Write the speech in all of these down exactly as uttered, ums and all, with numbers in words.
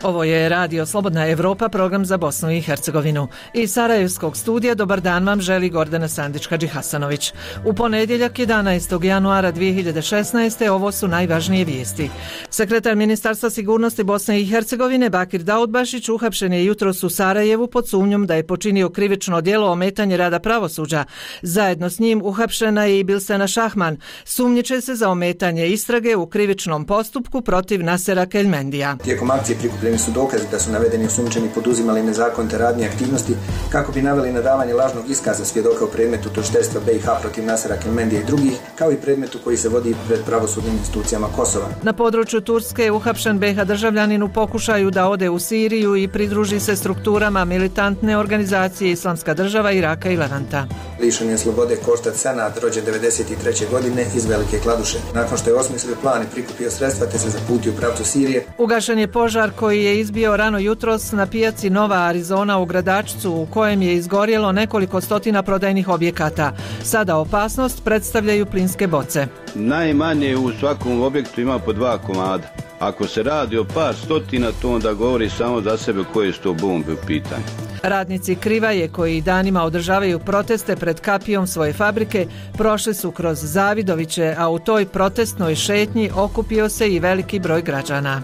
Ovo je Radio Slobodna Evropa, program za Bosnu i Hercegovinu. Iz Sarajevskog studija dobar dan vam želi Gordana Sandić-Hadžihasanović. U ponedjeljak jedanaestog januara dvije hiljade šesnaeste. ovo su najvažnije vijesti. Sekretar Ministarstva sigurnosti Bosne i Hercegovine Bakir Daudbašić uhapšen je jutros u Sarajevu pod sumnjom da je počinio krivično djelo ometanje rada pravosuđa. Zajedno s njim uhapšena je i Bilsena Šahman. Sumnjiče se za ometanje istrage u krivičnom postupku protiv Nasera Keljmendija. Tijekom akcije prikupljeni su dokazi da su navedeni osumnjičeni poduzimali nezakonite radnje i aktivnosti kako bi naveli na davanje lažnog iskaza svjedoka u predmetu tužiteljstva B i H protiv Nasera Keljmendija i drugih, kao i predmetu koji se vodi pred pravosudnim institucijama Kosova. Na području Turske je uhapšen B iH državljanin u pokušaju da ode u Siriju i pridruži se strukturama militantne organizacije Islamska država Iraka i Levanta. Lišen je slobode Koštat Senad, rođen devedeset treće godine iz Velike Kladuše. Nakon što je osmislio plan i prikupio sredstva te se zaputio u pravcu Sirije. Ugašen je požar koji je izbio rano jutros na pijaci Nova Arizona u Gradačcu, u kojem je izgorjelo nekoliko stotina prodajnih objekata. Sada opasnost predstavljaju plinske boce. Najmanje u svakom objektu ima po dva komada. Ako se radi o par stotina, to onda govori samo za sebe koje su to bombe u pitanju. Radnici Krivaje koji danima održavaju proteste pred kapijom svoje fabrike prošli su kroz Zavidoviće, a u toj protestnoj šetnji okupio se i veliki broj građana.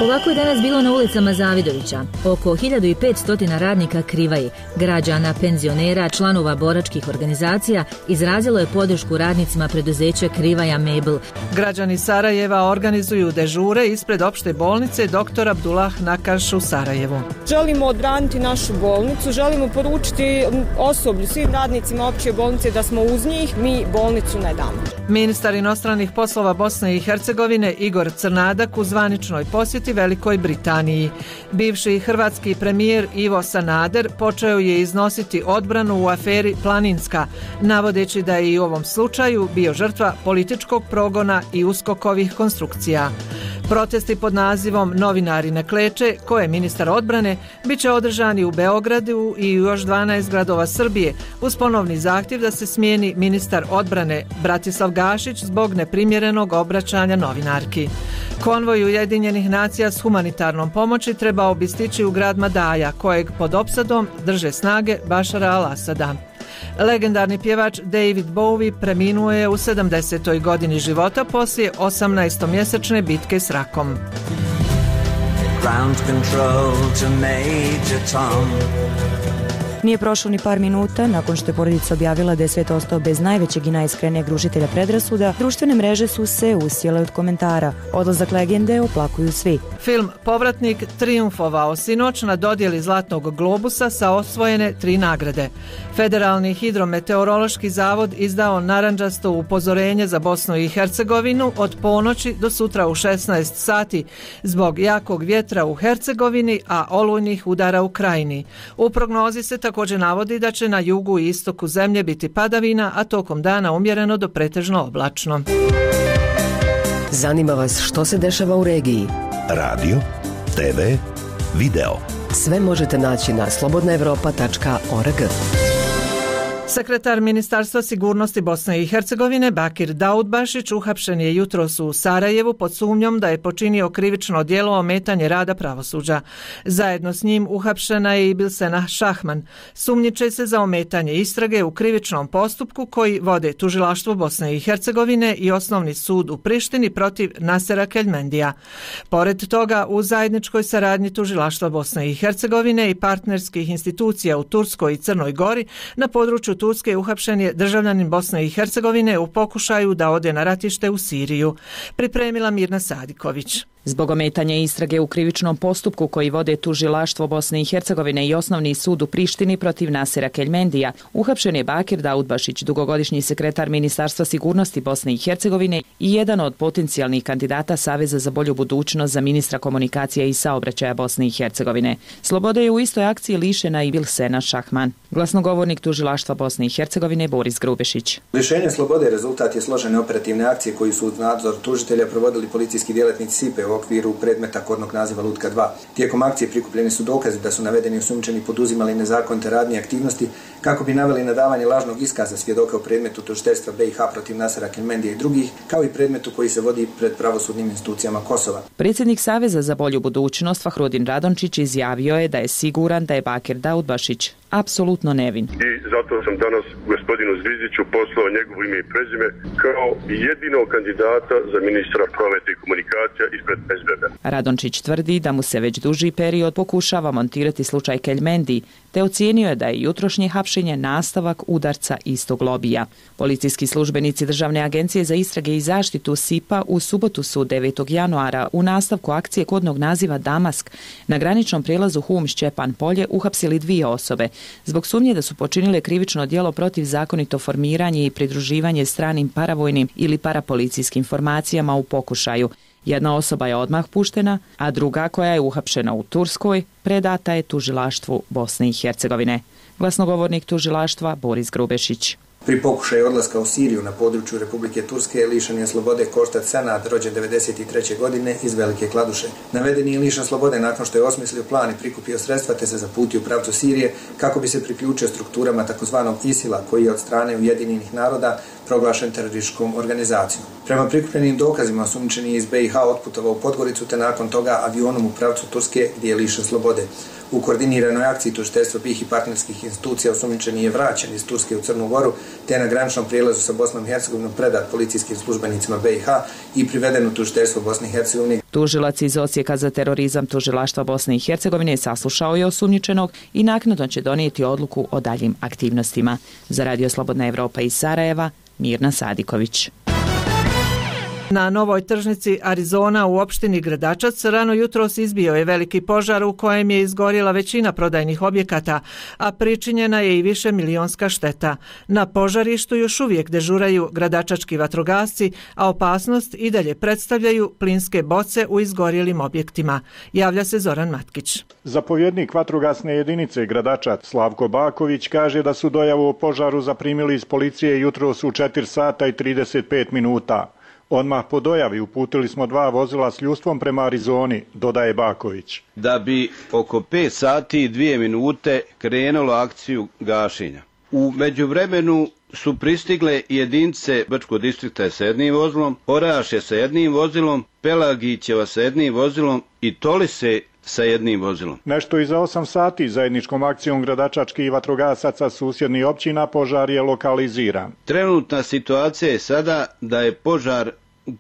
Ovako je danas bilo na ulicama Zavidovića. Oko hiljadu petsto radnika Krivaje, građana, penzionera, članova boračkih organizacija izrazilo je podršku radnicima preduzeća Krivaja Mebel. Građani Sarajeva organizuju dežure ispred opšte bolnice doktor Abdullah Nakaš u Sarajevu. Želimo odbraniti našu bolnicu, želimo poručiti osoblju, svim radnicima opće bolnice da smo uz njih, mi bolnicu ne damo. Ministar inostranih poslova Bosne i Hercegovine Igor Crnadak u zvaničnoj posjeti Velikoj Britaniji. Bivši hrvatski premijer Ivo Sanader počeo je iznositi odbranu u aferi Planinska, navodeći da je i u ovom slučaju bio žrtva političkog progona i uskokovih konstrukcija. Protesti pod nazivom Novinari ne kleče, koje ministar odbrane, bit će održani u Beogradu i u još dvanaest gradova Srbije uz ponovni zahtjev da se smijeni ministar odbrane Bratislav Gašić zbog neprimjerenog obraćanja novinarki. Konvoj Ujedinjenih nacija s humanitarnom pomoći trebao bi stići u grad Madaja, kojeg pod opsadom drže snage Bašara al-Asada. Legendarni pjevač David Bowie preminuo je u sedamdesetoj godini života poslije osamnaestomjesečne bitke s rakom. Ground control to Major Tom. Nije prošlo ni par minuta nakon što je porodica objavila da je svet ostao bez najvećeg i najiskrenijeg rušitelja predrasuda, društvene mreže su se usijele od komentara. Odlazak legende oplakuju svi. Film Povratnik trijumfovao sinoć na dodjeli Zlatnog globusa sa osvojene tri nagrade. Federalni hidrometeorološki zavod izdao narandžasto upozorenje za Bosnu i Hercegovinu od ponoći do sutra u šesnaest sati zbog jakog vjetra u Hercegovini, a olujnih udara u krajini. U prognozi se također navodi da će na jugu i istoku zemlje biti padavina, a tokom dana umjereno do pretežno oblačno. Zanima vas što se dešava u regiji? Radio, te ve, video. Sve možete naći na slobodna evropa tačka org. Sekretar Ministarstva sigurnosti Bosne i Hercegovine Bakir Daudbašić uhapšen je jutros u Sarajevu pod sumnjom da je počinio krivično djelo ometanje rada pravosuđa. Zajedno s njim uhapšena je i Bilsena Šahman. Sumnjiče se za ometanje istrage u krivičnom postupku koji vode Tužilaštvo Bosne i Hercegovine i Osnovni sud u Prištini protiv Nasera Keljmendija. Pored toga, u zajedničkoj saradnji Tužilaštva Bosne i Hercegovine i partnerskih institucija u Turskoj i Crnoj Gori na području Turske uhapšen je državljanin Bosne i Hercegovine u pokušaju da ode na ratište u Siriju. Pripremila Mirna Sadiković. Zbog ometanja istrage u krivičnom postupku koji vode Tužilaštvo Bosne i Hercegovine i Osnovni sud u Prištini protiv Nasera Keljmendija, uhapšen je Bakir Daudbašić, dugogodišnji sekretar Ministarstva sigurnosti Bosne i Hercegovine i jedan od potencijalnih kandidata Saveza za bolju budućnost za ministra komunikacija i saobraćaja Bosne i Hercegovine. Slobode je u istoj akciji lišena i Bilsena Šahman. Glasnogovornik Tužilaštva Bosne Bosne i Hercegovine Boris Grubešić. Lišenje slobode rezultat je složene operativne akcije koju su uz nadzor tužitelja provodili policijski djelatnici S I P E u okviru predmeta kodnog naziva Lutka dva. Tijekom akcije prikupljeni su dokazi da su navedeni osumnjičeni poduzimali nezakonite radnje i aktivnosti kako bi naveli na davanje lažnog iskaza svjedoka u predmetu tužiteljstva B i H protiv Nasera Kelmendija i drugih, kao i predmetu koji se vodi pred pravosudnim institucijama Kosova. Predsjednik Saveza za bolju budućnost Fahrudin Radončić izjavio je da je siguran da je Bakir Daudbašić apsolutno nevin. I zato sam danas gospodinu Zvizdiću poslao njegovo ime i prezime kao jedinog kandidata za ministra prometa i komunikacija ispred S B B. Radončić tvrdi da mu se već duži period pokušava montirati slučaj Kelmendi, te ocijenio je da je jutrošnje hapšenje nastavak udarca istog lobija. Policijski službenici Državne agencije za istrage i zaštitu S I P A u subotu su devetog januara u nastavku akcije kodnog naziva Damask na graničnom prijelazu Hum-Šćepan polje uhapsili dvije osobe zbog sumnje da su počinile krivično djelo protiv zakonito formiranje i pridruživanje stranim paravojnim ili parapolicijskim formacijama u pokušaju. Jedna osoba je odmah puštena, a druga, koja je uhapšena u Turskoj, predata je tužilaštvu Bosne i Hercegovine. Glasnogovornik tužilaštva Boris Grubešić. Pri pokušaju odlaska u Siriju na području Republike Turske lišen je slobode Koštat Senad, rođen devedeset treće godine iz Velike Kladuše. Navedeni je lišen slobode nakon što je osmislio plan i prikupio sredstva te se zaputio u pravcu Sirije kako bi se priključio strukturama takozvanog ISIL-a koji je od strane Ujedinjenih naroda proglašen terorističkom organizacijom. Prema prikupljenim dokazima osumnjičeni iz B i H otputovao u Podgoricu te nakon toga avionom u pravcu Turske gdje je lišen slobode. U koordiniranoj akciji tužiteljstva B i H i partnerskih institucija osumnjičeni je vraćen iz Turske u Crnu Goru te na graničnom prijelazu sa Bosnom i Hercegovinom predat policijskim službenicima B i H i priveden u tužiteljstvo Bosne i Hercegovine. Tužilac iz Odsjeka za terorizam tužilaštva Bosne i Hercegovine saslušao je osumnjičenog i naknadno će donijeti odluku o daljim aktivnostima. Za Radio Slobodna Evropa iz Sarajeva, Mirna Sadiković. Na novoj tržnici Arizona u opštini Gradačac rano jutros izbio je veliki požar u kojem je izgorjela većina prodajnih objekata, a pričinjena je i više milionska šteta. Na požarištu još uvijek dežuraju gradačački vatrogasci, a opasnost i dalje predstavljaju plinske boce u izgorjelim objektima. Javlja se Zoran Matkić. Zapovjednik vatrogasne jedinice Gradačac Slavko Baković kaže da su dojavu o požaru zaprimili iz policije jutros u četiri sata i trideset pet minuta. Odmah po dojavi uputili smo dva vozila s ljudstvom prema Arizoni, dodaje Baković. Da bi oko pet sati i dvije minute krenulo akciju gašenja. U međuvremenu su pristigle jedinice Brčkog distrikta sa jednim vozilom, Orašje sa jednim vozilom, Pelagićeva sa jednim vozilom i Tolise sa jednim vozilom. Nešto iza osam sati zajedničkom akcijom gradačačkih vatrogasaca susjednih općina požar je lokaliziran. Trenutna situacija je sada da je požar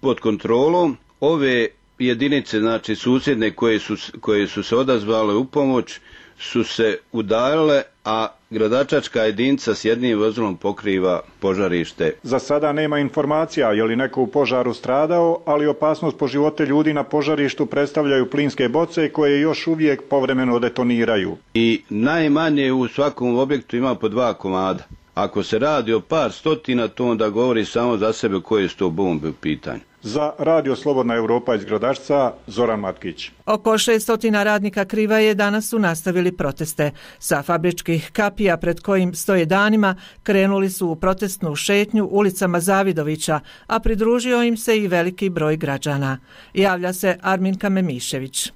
pod kontrolom. Ove jedinice, znači susjedne koje su, koje su se odazvale u pomoć, su se udaljile, a gradačačka jedinica s jednim vozilom pokriva požarište. Za sada nema informacija je li neko u požaru stradao, ali opasnost po živote ljudi na požarištu predstavljaju plinske boce koje još uvijek povremeno detoniraju. I najmanje u svakom objektu ima po dva komada. Ako se radi o par stotina, to onda govori samo za sebe koje su to bombe u pitanju. Za Radio Slobodna Evropa iz Gradačca, Zoran Matkić. Oko šesto radnika Krivaje danas su nastavili proteste. Sa fabričkih kapija pred kojim stoje danima krenuli su u protestnu šetnju ulicama Zavidovića, a pridružio im se i veliki broj građana. Javlja se Arminka Memišević.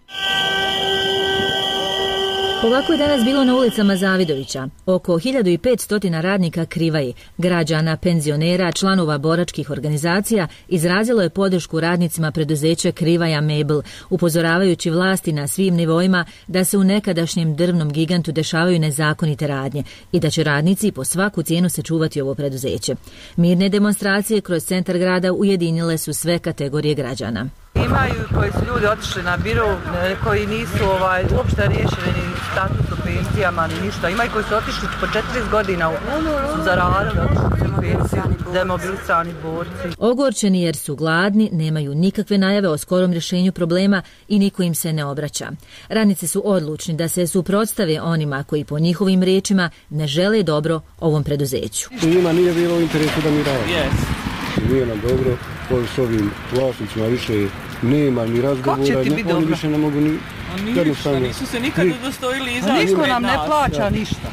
Ovako je danas bilo na ulicama Zavidovića. Oko hiljadu petsto radnika Krivaje, građana, penzionera, članova boračkih organizacija izrazilo je podršku radnicima preduzeća Krivaja Mebel, upozoravajući vlasti na svim nivoima da se u nekadašnjem drvnom gigantu dešavaju nezakonite radnje i da će radnici po svaku cijenu sačuvati ovo preduzeće. Mirne demonstracije kroz centar grada ujedinile su sve kategorije građana. Imaju koji su ljudi otišli na biro, koji nisu ovaj, uopšte riješili ni status u pensijama, ni ništa. Imaju koji su otišli po četrdeset godina, su zaradili, otišli u pensiju, demobilisani borci. Ogorčeni jer su gladni, nemaju nikakve najave o skorom rješenju problema i niko im se ne obraća. Radnici su odlučni da se suprotstave onima koji po njihovim riječima ne žele dobro ovom preduzeću. Njima nije bilo u interesu da mi radimo. Yes. Nije nam dobro, koji s ovim vlasnicima više nema ni razgovora, ne, oni više ne mogu ni... Oni ništa, nisu se nikad udostojili izaći. Niko nam ne plaća ništa.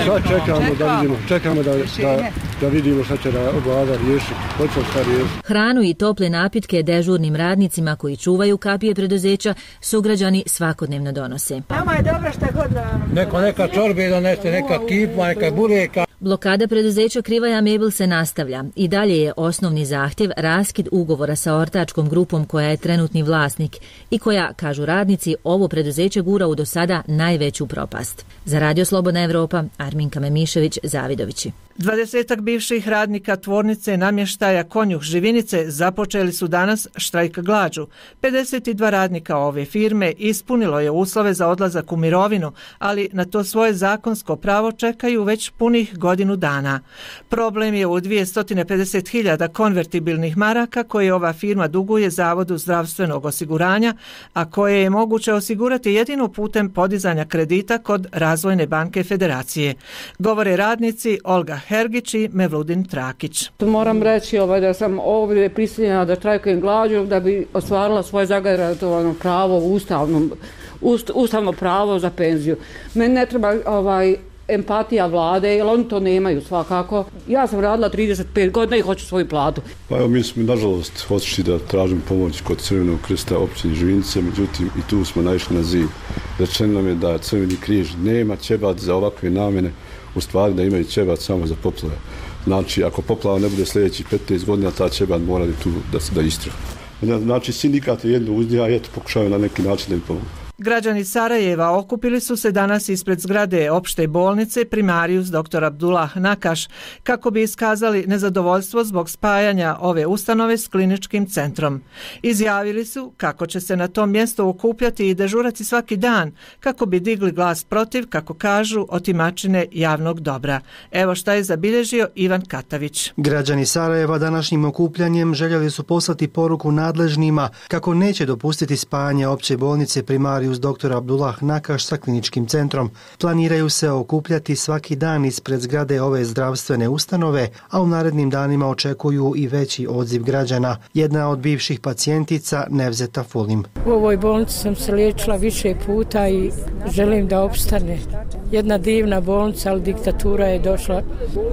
Sad čekamo da vidimo, čekamo da, da, da vidimo šta će da vlada riješiti, hoće šta riješiti. Hranu i tople napitke dežurnim radnicima koji čuvaju kapije preduzeća sugrađani svakodnevno donose. Nama je dobro šta god da... Neko neka čorbe donese, neka kipma, neka bureka. Blokada preduzeća Krivaja Mebel se nastavlja. I dalje je osnovni zahtjev raskid ugovora sa ortačkom grupom koja je trenutni vlasnik i koja, kažu radnici, ovo preduzeće gura u do sada najveću propast. Za Radio Slobodna Evropa, Arminka Memišević, Zavidovići. Dvadesetak bivših radnika tvornice namještaja Konjuh Živinice započeli su danas štrajk glađu. pedeset dva radnika ove firme ispunilo je uslove za odlazak u mirovinu, ali na to svoje zakonsko pravo čekaju već punih godinu dana. Problem je u dvjesto pedeset hiljada konvertibilnih maraka koje ova firma duguje Zavodu zdravstvenog osiguranja, a koje je moguće osigurati jedino putem podizanja kredita kod Razvojne banke Federacije. Govore radnici Olga Hergić i Mevludin Trakić. Moram reći ovaj, da sam ovdje prisiljena da štrajkujem glađu da bi ostvarila svoje zagarantovano pravo u ustavnom, ust, ustavno pravo za penziju. Meni ne treba ovaj, empatija vlade, jer oni to nemaju svakako. Ja sam radila trideset pet godina i hoću svoju platu. Pa evo, mi smo nažalost otišli da tražimo pomoć kod Crvenog krsta općine Živinice, međutim i tu smo naišli na zid. Rečeno nam je da Crveni križ nema ćebat za ovakve namjene, u stvari da imaju ćebat samo za poplave. Znači, ako poplava ne bude sljedećih petnaest godina, ta ćebat mora tu da se da istraha. Znači, sindikat je jedno uzdija, eto, pokušaju na neki način da im pomogu. Građani Sarajeva okupili su se danas ispred zgrade opšte bolnice Primarius doktor Abdullah Nakaš kako bi iskazali nezadovoljstvo zbog spajanja ove ustanove s kliničkim centrom. Izjavili su kako će se na tom mjestu okupljati i dežurati svaki dan kako bi digli glas protiv, kako kažu, otimačine javnog dobra. Evo šta je zabilježio Ivan Katavić. Građani Sarajeva današnjim okupljanjem željeli su poslati poruku nadležnima kako neće dopustiti spajanje opće bolnice Primarius doktor Abdullah Nakaš sa kliničkim centrom. Planiraju se okupljati svaki dan ispred zgrade ove zdravstvene ustanove, a u narednim danima očekuju i veći odziv građana. Jedna od bivših pacijentica, Nevzeta Fulim. U ovoj bolnici sam se liječila više puta i želim da opstane. Jedna divna bolnica, ali diktatura je došla.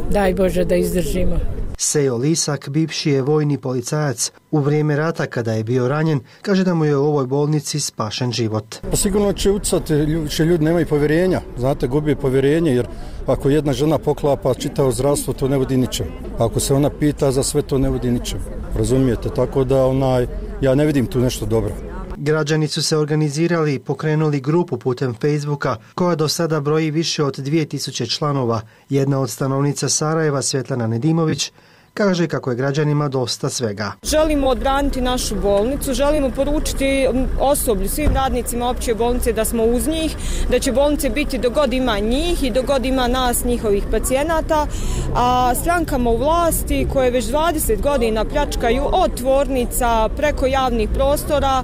Daj Bože da izdržimo. Sejo Lisak, bivši je vojni policajac. U vrijeme rata kada je bio ranjen, kaže da mu je u ovoj bolnici spašen život. Pa sigurno će ucati, će ljudi nemaju povjerenja. Znate, gubi povjerenje jer ako jedna žena poklapa čitavo zdravstvo, to ne vodi ničem. Ako se ona pita za sve, to ne vodi ničem. Razumijete? Tako da onaj, ja ne vidim tu nešto dobro. Građani su se organizirali i pokrenuli grupu putem Facebooka koja do sada broji više od dvije tisuće članova. Jedna od stanovnica Sarajeva, Svetlana Nedimović, kaže kako je građanima dosta svega. Želimo odbraniti našu bolnicu, želimo poručiti osoblju, svim radnicima opće bolnice da smo uz njih, da će bolnice biti dok god ima njih i dok god ima nas, njihovih pacijenata, a strankama u vlasti koje već dvadeset godina pljačkaju od tvornica preko javnih prostora,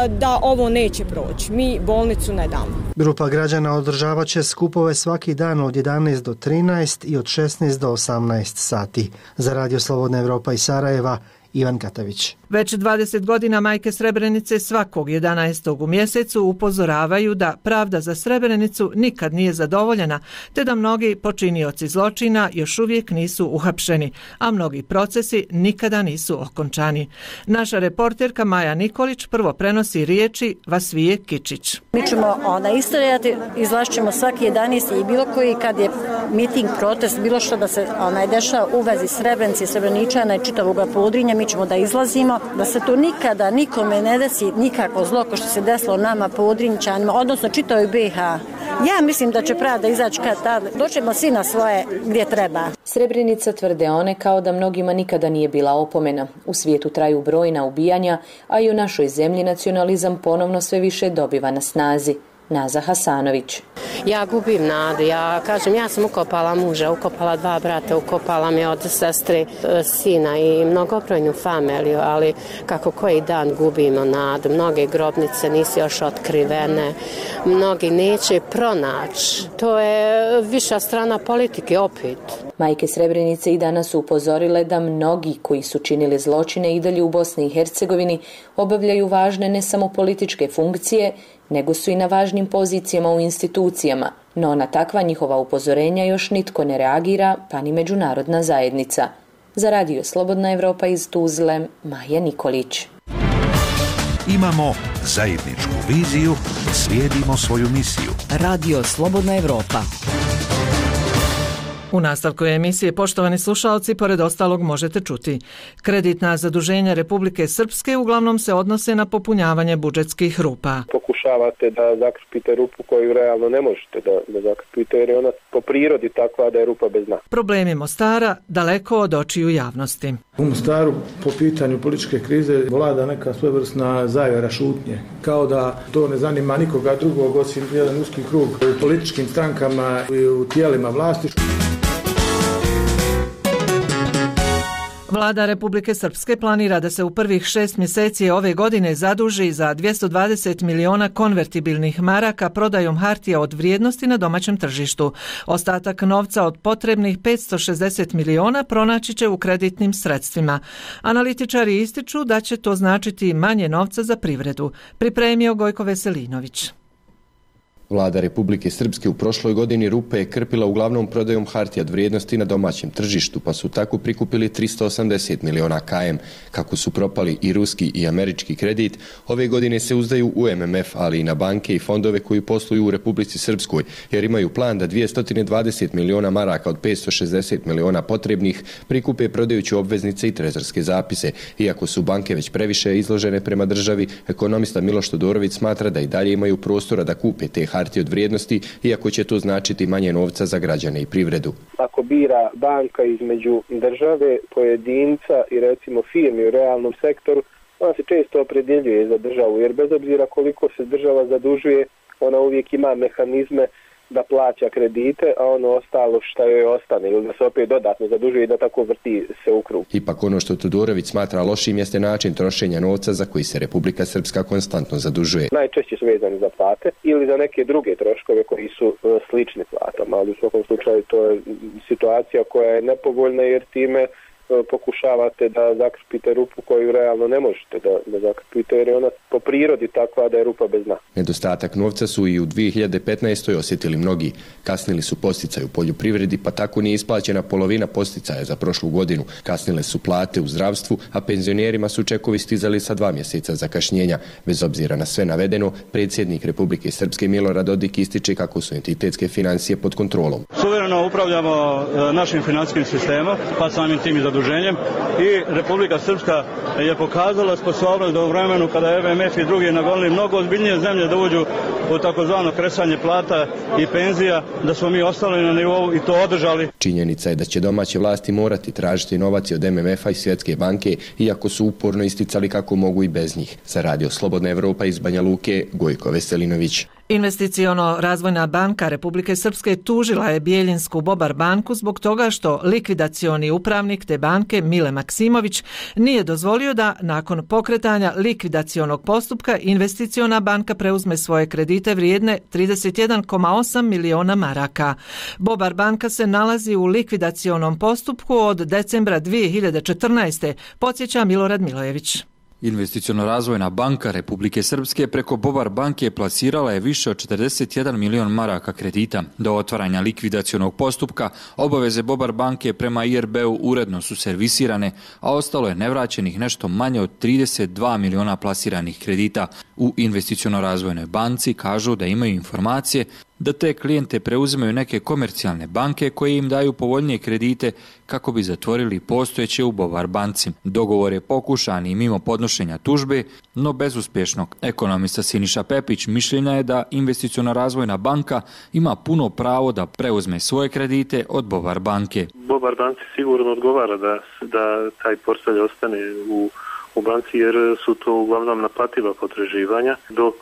da ovo neće proći. Mi bolnicu ne damo. Grupa građana održavat će skupove svaki dan od jedanaest do trinaest i od šesnaest do osamnaest sati. Za Radio Slobodna Evropa iz Sarajeva, Ivan Katavić. Već dvadeset godina majke Srebrenice svakog jedanaestog u mjesecu upozoravaju da pravda za Srebrenicu nikad nije zadovoljena, te da mnogi počinioci zločina još uvijek nisu uhapšeni, a mnogi procesi nikada nisu okončani. Naša reporterka Maja Nikolić prvo prenosi riječi Vasvije Kičić. Mi ćemo ona istrajati, izlašćemo svaki jedanaesti i bilo koji kad je miting, protest, bilo što da se onaj dešava u vezi Srebrenice, Srebreničana i čitavoga Podrinja, mi ćemo da izlazimo, da se to nikada nikome ne desi nikako zlo ko što se desilo nama Podrinjčanima, odnosno čitavoj B i H. Ja mislim da će pravda izaći kad tad, doćemo svi na svoje gdje treba. Srebrenica, tvrde one, kao da mnogima nikada nije bila opomena. U svijetu traju brojna ubijanja, a i u našoj zemlji nacionalizam ponovno sve više dobiva na snazi. Naza Hasanović. Ja gubim nadu, ja kažem, ja sam ukopala muža, ukopala dva brata, ukopala me od sestre, sina i mnogobrojnu familiju, ali kako koji dan gubimo nadu, mnoge grobnice nisu još otkrivene, mnogi neće pronaći, to je viša strana politike opet. Majke Srebrenice i danas su upozorile da mnogi koji su činili zločine i dalje u Bosni i Hercegovini obavljaju važne ne samo političke funkcije, nego su i na važnim pozicijama u institucijama, No na takva njihova upozorenja još nitko ne reagira, pa ni međunarodna zajednica. Za Radio Slobodna Evropa iz Tuzle, Maja Nikolić. Imamo zajedničku viziju, slijedimo svoju misiju. Radio Slobodna Evropa. U nastavku emisije, poštovani slušalci, pored ostalog možete čuti. Kreditna zaduženja Republike Srpske uglavnom se odnose na popunjavanje budžetskih rupa. Pokušavate da zakrpite rupu koju realno ne možete da, da zakrpite, jer je ona po prirodi takva da je rupa bez dna. Problemi Mostara daleko od očiju javnosti. U Mostaru po pitanju političke krize vlada neka svojevrsna zavjera šutnje. Kao da to ne zanima nikoga drugog osim jedan uski krug u političkim strankama i u tijelima vlasti. Vlada Republike Srpske planira da se u prvih šest mjeseci ove godine zaduži za dvjesto dvadeset miliona konvertibilnih maraka prodajom hartija od vrijednosti na domaćem tržištu. Ostatak novca od potrebnih petsto šezdeset miliona pronaći će u kreditnim sredstvima. Analitičari ističu da će to značiti manje novca za privredu. Pripremio Gojko Veselinović. Vlada Republike Srpske u prošloj godini rupe je krpila uglavnom prodajom hartija od vrijednosti na domaćem tržištu, pa su tako prikupili tristo osamdeset miliona K M. Kako su propali i ruski i američki kredit, ove godine se uzdaju u M M F, ali i na banke i fondove koji posluju u Republici Srpskoj, jer imaju plan da dvjesto dvadeset miliona maraka od petsto šezdeset miliona potrebnih prikupe prodajući obveznice i trezorske zapise. Iako su banke već previše izložene prema državi, ekonomista Miloš Todorović smatra da i dalje imaju prostora da kupe te hartije od vrijednosti, iako će to značiti manje novca za građane i privredu. Ako bira banka između države, pojedinca i recimo firmi u realnom sektoru, ona se često opredjeljuje za državu, jer bez obzira koliko se država zadužuje, ona uvijek ima mehanizme da plaća kredite, a ono ostalo što joj ostane, ili da se opet dodatno zadužuje i da tako vrti se u krug. Ipak ono što Todorović smatra lošim jeste način trošenja novca za koji se Republika Srpska konstantno zadužuje. Najčešće su vezani za plate ili za neke druge troškove koji su slični platama, ali u svakom slučaju to je situacija koja je nepovoljna, jer time pokušavate da zakrpite rupu koju realno ne možete da, da zakrpite, jer je ona po prirodi takva da je rupa bez dna. Nedostatak novca su i u dvije hiljade petnaestoj osjetili mnogi. Kasnili su posticaji u poljoprivredi, pa tako nije isplaćena polovina posticaja za prošlu godinu. Kasnile su plate u zdravstvu, a penzionerima su čekovi stizali sa dva mjeseca zakašnjenja. Bez obzira na sve navedeno, predsjednik Republike Srpske Milorad Dodik ističe kako su entitetske financije pod kontrolom. Suvereno upravljamo našim financijskim sistemom, pa samim tim i zaduženjem, i Republika Srpska je pokazala sposobnost da u vremenu kada je M M F i drugi nagonili mnogo ozbiljnije zemlje da uđu u takozvano kresanje plata i penzija, da smo mi ostali na nivou i to održali. Činjenica je da će domaće vlasti morati tražiti novac od M M F-a i Svjetske banke, iako su uporno isticali kako mogu i bez njih. Za Radio Slobodna Evropa iz Banja Luke, Gojko Veselinović. Investiciono-razvojna banka Republike Srpske tužila je Bijeljinsku Bobar banku zbog toga što likvidacioni upravnik te banke Mile Maksimović nije dozvolio da nakon pokretanja likvidacionog postupka investiciona banka preuzme svoje kredite vrijedne trideset jedan zarez osam miliona maraka. Bobar banka se nalazi u likvidacionom postupku od decembra dvije hiljade četrnaeste. podsjeća Milorad Milojević. Investiciono-razvojna banka Republike Srpske preko Bobar banke plasirala je više od četrdeset jedan milion maraka kredita. Do otvaranja likvidacionog postupka obaveze Bobar banke prema I R B-u uredno su servisirane, a ostalo je nevraćenih nešto manje od trideset dva miliona plasiranih kredita. U Investiciono-razvojnoj banci kažu da imaju informacije da te klijente preuzimaju neke komercijalne banke koje im daju povoljnije kredite kako bi zatvorili postojeće u Bobar banci. Dogovor je pokušan i mimo podnošenja tužbe, no bezuspješno. Ekonomista Siniša Pepić mišljenja je da Investiciono-razvojna banka ima puno pravo da preuzme svoje kredite od Bobar banke. Bobar banci sigurno odgovara da, da taj portfelj ostane u u banci, jer su to uglavnom naplativa potraživanja, dok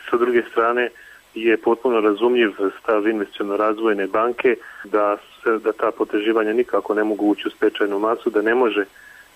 sa druge strane je potpuno razumljiv stav Investiciono-razvojne banke da, se, da ta potraživanja nikako ne mogu ući u stečajnu masu, da ne može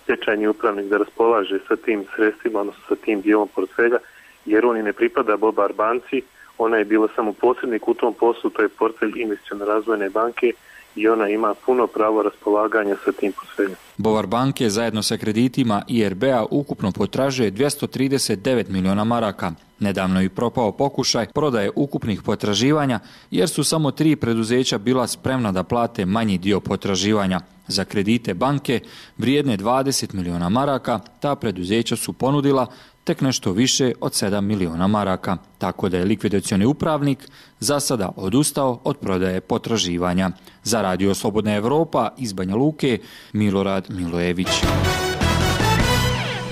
stečajni upravnik da raspolaže sa tim sredstvima, odnosno sa tim dijelom portfelja, jer on i ne pripada Bobar banci, ona je bila samo posrednik u tom poslu, to je portfelj Investiciono-razvojne banke i ona ima puno pravo raspolaganja sa tim portfeljem. Bovar banke zajedno sa kreditima I R B-a ukupno potražuje dvjesto trideset devet miliona maraka. Nedavno je propao pokušaj prodaje ukupnih potraživanja jer su samo tri preduzeća bila spremna da plate manji dio potraživanja. Za kredite banke vrijedne dvadeset miliona maraka ta preduzeća su ponudila tek nešto više od sedam miliona maraka, tako da je likvidacioni upravnik za sada odustao od prodaje potraživanja. Za Radio Slobodna Evropa iz Banja Luke, Milorad Milojević.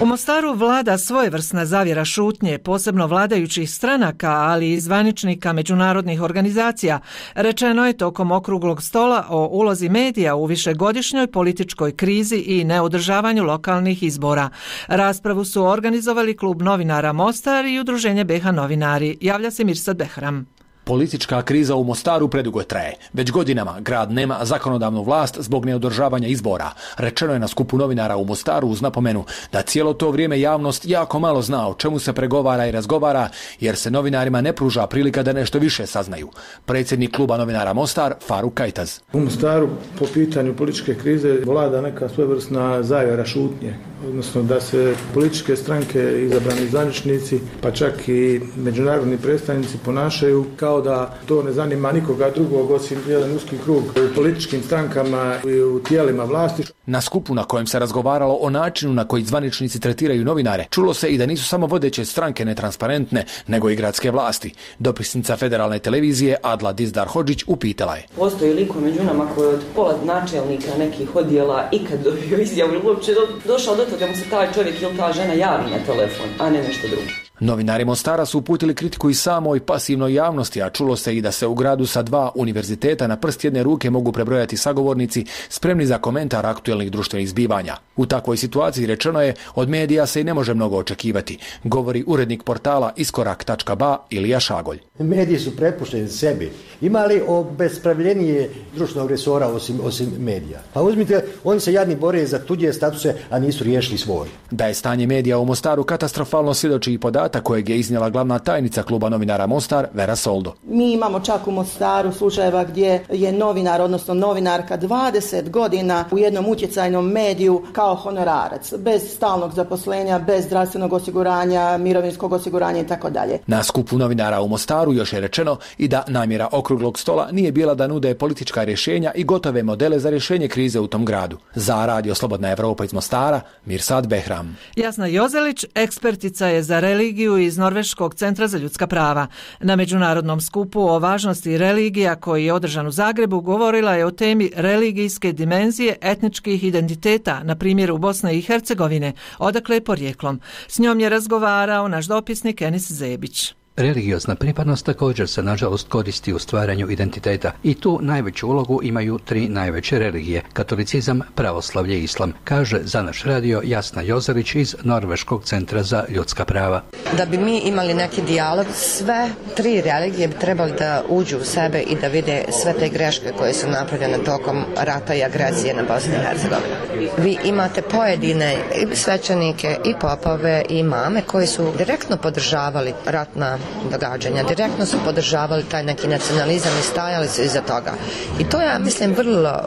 U Mostaru vlada svojevrsna zavjera šutnje, posebno vladajućih stranaka, ali i zvaničnika međunarodnih organizacija. Rečeno je tokom okruglog stola o ulozi medija u višegodišnjoj političkoj krizi i neodržavanju lokalnih izbora. Raspravu su organizovali Klub novinara Mostar i Udruženje B H novinari. Javlja se Mirsad Behram. Politička kriza u Mostaru predugo traje. Već godinama grad nema zakonodavnu vlast zbog neodržavanja izbora. Rečeno je na skupu novinara u Mostaru uz napomenu da cijelo to vrijeme javnost jako malo zna o čemu se pregovara i razgovara jer se novinarima ne pruža prilika da nešto više saznaju. Predsjednik kluba novinara Mostar, Faruk Kajtaz. U Mostaru po pitanju političke krize vlada neka svojevrsna zavjera šutnje, odnosno da se političke stranke, izabrani zvaničnici, pa čak i međunarodni predstavnici ponašaju kao da to ne zanima nikoga drugog osim jedan uski krug u političkim strankama i u tijelima vlasti. Na skupu na kojem se razgovaralo o načinu na koji zvaničnici tretiraju novinare, čulo se i da nisu samo vodeće stranke netransparentne, nego i gradske vlasti. Dopisnica federalne televizije Adla Dizdar Hodžić upitala je. Postoji liko među nama koji od pola načelnika nekih odjela ikad dobio izjavu ili uopće do, došao do toga da mu se taj čovjek ili ta žena javi na telefon, a ne nešto drugo. Novinari Mostara su uputili kritiku i samoj pasivnoj javnosti, a čulo se i da se u gradu sa dva univerziteta na prst jedne ruke mogu prebrojati sagovornici spremni za komentar aktuelnih društvenih zbivanja. U takvoj situaciji rečeno je od medija se i ne može mnogo očekivati, govori urednik portala iskorak tačka ba Ilija Šagolj. Mediji su prepušteni sebi. Ima li obespravljenije društvenog resora osim, osim medija? Pa uzmite, oni se jadni bore za tuđe statuse, a nisu riješili svoj. Da je stanje medija u Mostaru katastrofalno svjedoči i podatak kojeg je iznijela glavna tajnica kluba novinara Mostar, Vera Soldo. Mi imamo čak u Mostaru slučajeva gdje je novinar, odnosno novinarka dvadeset godina u jednom utjecajnom mediju kao honorarac, bez stalnog zaposlenja, bez zdravstvenog osiguranja, mirovinskog osiguranja i tako dalje. Na skupu novinara u Mostaru još je rečeno i da namjera okruglog stola nije bila da nude politička rješenja i gotove modele za rješenje krize u tom gradu. Za Radio Slobodna Evropa iz Mostara, Mirsad Behram. Jasna Jozelić, ekspertica je za religiju iz Norveškog centra za ljudska prava. Na međunarodnom skupu o važnosti religija koji je održan u Zagrebu govorila je o temi religijske dimenzije etničkih identiteta, na primjeru Bosne i Hercegovine, odakle je porijeklom. S njom je razgovarao naš dopisnik Enis Zebić. Religiozna pripadnost također se nažalost koristi u stvaranju identiteta i tu najveću ulogu imaju tri najveće religije, katolicizam, pravoslavlje i islam, kaže za naš radio Jasna Jozelić iz Norveškog centra za ljudska prava. Da bi mi imali neki dijalog, sve tri religije bi trebali da uđu u sebe i da vide sve te greške koje su napravljene tokom rata i agresije na Bosnu i Hercegovinu. Vi imate pojedine i svećenike i popove i imame koji su direktno podržavali ratna događanja. Direktno su podržavali taj neki nacionalizam i stajali su iza toga. I to je, mislim, vrlo,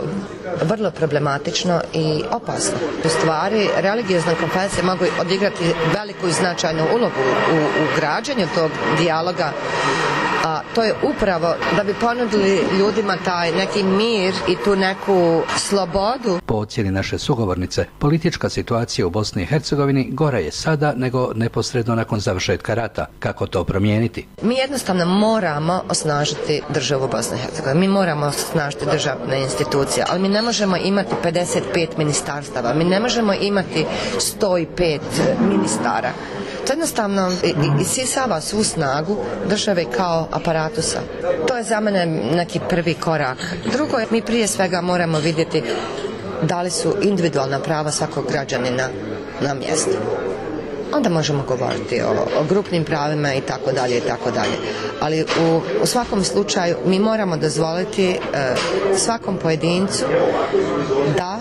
vrlo problematično i opasno. U stvari, religiozne konfesije mogu odigrati veliku i značajnu ulogu u, u građenju tog dijaloga, a to je upravo da bi ponudili ljudima taj neki mir i tu neku slobodu. Po ocjeni naše sugovornice, politička situacija u Bosni i Hercegovini gora je sada nego neposredno nakon završetka rata. Kako to promijeniti? Mi jednostavno moramo osnažiti državu Bosne i Hercegovine. Mi moramo osnažiti državne institucije, ali mi ne možemo imati pedeset pet ministarstava, mi ne možemo imati sto pet ministara. To jednostavno isisava svu snagu države kao aparatusa. To je za mene neki prvi korak. Drugo, mi prije svega moramo vidjeti da li su individualna prava svakog građanina na mjestu. Onda možemo govoriti o, o grupnim pravima i tako dalje i tako dalje. Ali u, u svakom slučaju mi moramo dozvoliti e, svakom pojedincu da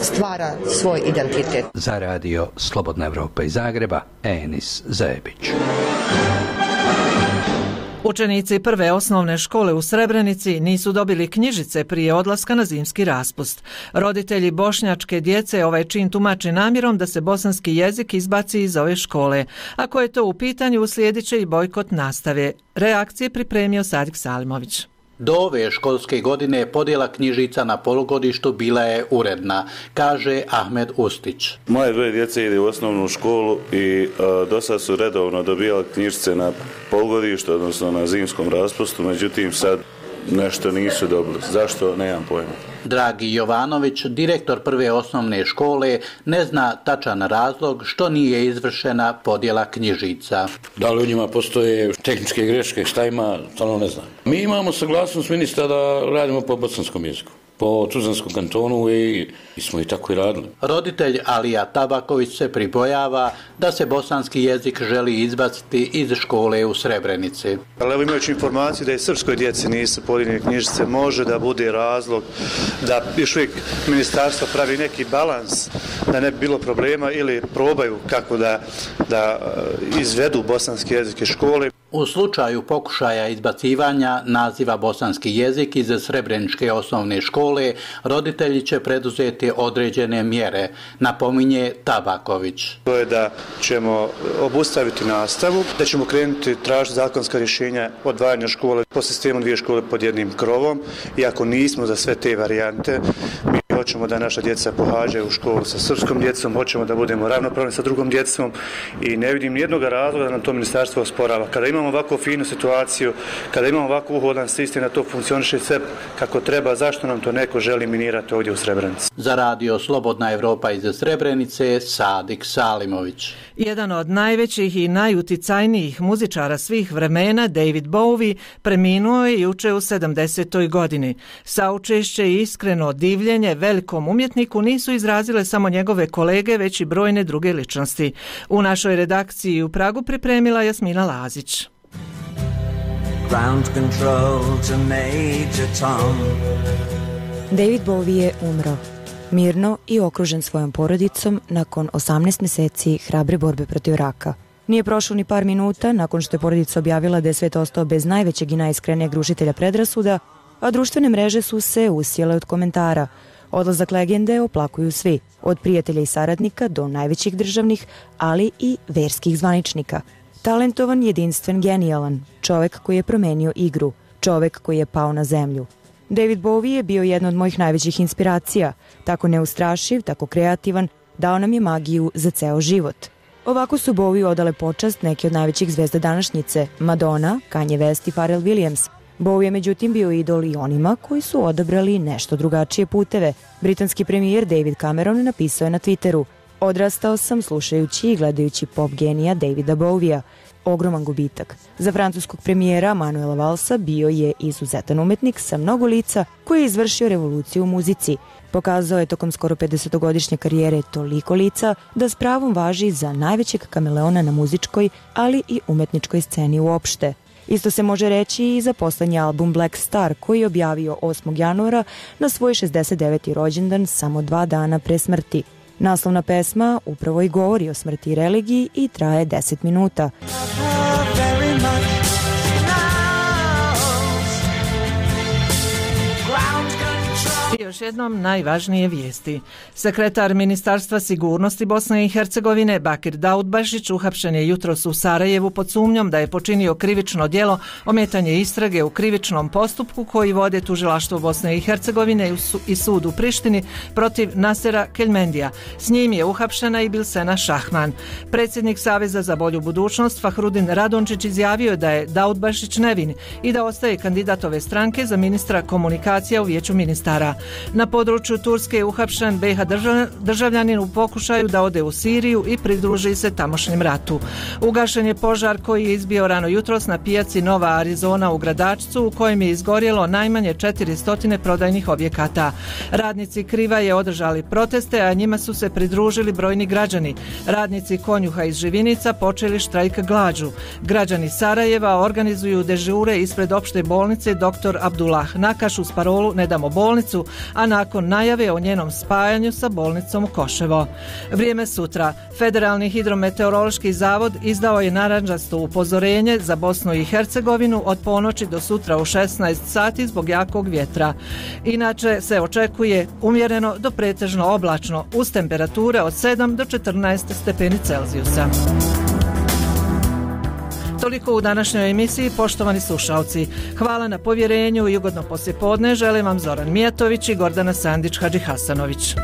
stvara svoj identitet. Za radio Slobodna Evropa iz Zagreba, Enis Zebić. Učenici prve osnovne škole u Srebrenici nisu dobili knjižice prije odlaska na zimski raspust. Roditelji bošnjačke djece ovaj čin tumače namjerom da se bosanski jezik izbaci iz ove škole. Ako je to u pitanju, uslijedit će i bojkot nastave. Reakcije pripremio Sadik Salimović. Do ove školske godine podjela knjižica na polugodištu bila je uredna, kaže Ahmed Ustić. Moje dvoje djece ide u osnovnu školu i uh, do sad su redovno dobijali knjižice na polugodištu, odnosno na zimskom raspustu, međutim sad nešto nisu dobili. Zašto? Nemam pojma. Dragi Jovanović, direktor prve osnovne škole, ne zna tačan razlog što nije izvršena podjela knjižica. Da li u njima postoje tehničke greške, šta ima, to ne znam. Mi imamo saglasnost ministra da radimo po bosanskom jeziku, po Tuzlanskom kantonu i, i smo i tako i radili. Roditelj Alija Tabaković se pribojava da se bosanski jezik želi izbaciti iz škole u Srebrenici. Ali evo, imajući informaciju da i srpskoj djeci nisu podijeljene knjižice, može da bude razlog da još uvijek ministarstvo pravi neki balans da ne bi bilo problema ili probaju kako da, da izvedu bosanski jezik iz škole. U slučaju pokušaja izbacivanja naziva bosanski jezik iz Srebreničke osnovne škole, roditelji će preduzeti određene mjere, napominje Tabaković. To je da ćemo obustaviti nastavu, da ćemo krenuti tražiti zakonska rješenja odvajanja škole po sistemu dvije škole pod jednim krovom. Iako nismo za sve te varijante, mi hoćemo da naša djeca pohađaju u školu sa srpskom djecom, hoćemo da budemo ravnopravni sa drugom djecom i ne vidim nijednog razloga da nam to ministarstvo osporava. Kada imamo ovako finu situaciju, kada imamo ovako uhodan sistem da to funkcioniše sve kako treba, zašto nam to neko želi minirati ovdje u Srebrenici? Za radio Slobodna Evropa iz Srebrenice, Sadik Salimović. Jedan od najvećih i najuticajnijih muzičara svih vremena, David Bowie, preminuo je juče u sedamdesetoj godini. Saučešće i iskreno divljenje velikom umjetniku nisu izrazile samo njegove kolege, već i brojne druge ličnosti. U našoj redakciji u Pragu pripremila Jasmina Lazić. Ground control to Major Tom. David Bowie je umro. Mirno i okružen svojom porodicom nakon osamnaest mjeseci hrabre borbe protiv raka. Nije prošlo ni par minuta nakon što je porodica objavila da je svet ostao bez najvećeg i najiskrenijeg rušitelja predrasuda, a društvene mreže su se usijele od komentara. Odlazak legende oplakuju svi, od prijatelja i saradnika do najvećih državnih, ali i verskih zvaničnika. Talentovan, jedinstven, genijalan, čovek koji je promenio igru, čovek koji je pao na zemlju. David Bowie je bio jedna od mojih najvećih inspiracija, tako neustrašiv, tako kreativan, dao nam je magiju za ceo život. Ovako su Bowie odale počast neki od najvećih zvezda današnjice, Madonna, Kanye West i Pharrell Williams. Bowie je međutim bio idol i onima koji su odabrali nešto drugačije puteve. Britanski premijer David Cameron napisao je na Twitteru: "Odrastao sam slušajući i gledajući pop genija Davida Bowiea. Ogroman gubitak. Za francuskog premijera Manuela Valsa bio je izuzetan umetnik sa mnogo lica koji je izvršio revoluciju u muzici. Pokazao je tokom skoro pedesetogodišnje karijere toliko lica da s pravom važi za najvećeg kameleona na muzičkoj, ali i umetničkoj sceni uopšte. Isto se može reći i za poslednji album Black Star, koji je objavio osmog januara na svoj šezdeset deveti rođendan, samo dva dana pre smrti. Naslovna pesma upravo i govori o smrti i religiji i traje deset minuta. I još jednom najvažnije vijesti. Sekretar Ministarstva sigurnosti Bosne i Hercegovine Bakir Daudbašić uhapšen je jutros u Sarajevu pod sumnjom da je počinio krivično djelo ometanje istrage u krivičnom postupku koji vode tužilaštvo Bosne i Hercegovine i sud u Prištini protiv Nasera Keljmendija. S njim je uhapšena i Bilsena Šahman. Predsjednik Saveza za bolju budućnost Fahrudin Radončić izjavio da je Daudbašić nevin i da ostaje kandidat ove stranke za ministra komunikacija u Vijeću ministara. Na području Turske je uhapšen be ha državljanin u pokušaju da ode u Siriju i pridruži se tamošnjem ratu. Ugašen je požar koji je izbio rano jutros na pijaci Nova Arizona u Gradačcu, u kojem je izgorjelo najmanje četiristo prodajnih objekata. Radnici Krivaje održali proteste, a njima su se pridružili brojni građani. Radnici Konjuha iz Živinica počeli štrajk glađu. Građani Sarajeva organizuju dežure ispred opšte bolnice doktor Abdullah Nakaš uz parolu "Ne damo bolnicu", a nakon najave o njenom spajanju sa bolnicom u Koševo. Vrijeme sutra. Federalni hidrometeorološki zavod izdao je narandžasto upozorenje za Bosnu i Hercegovinu od ponoći do sutra u šesnaest sati zbog jakog vjetra. Inače se očekuje umjereno do pretežno oblačno uz temperature od sedam do četrnaest stepeni Celzijusa. Toliko u današnjoj emisiji, poštovani slušalci. Hvala na povjerenju i ugodno poslijepodne želim vam Zoran Mijatović i Gordana Sandić-Hadžihasanović.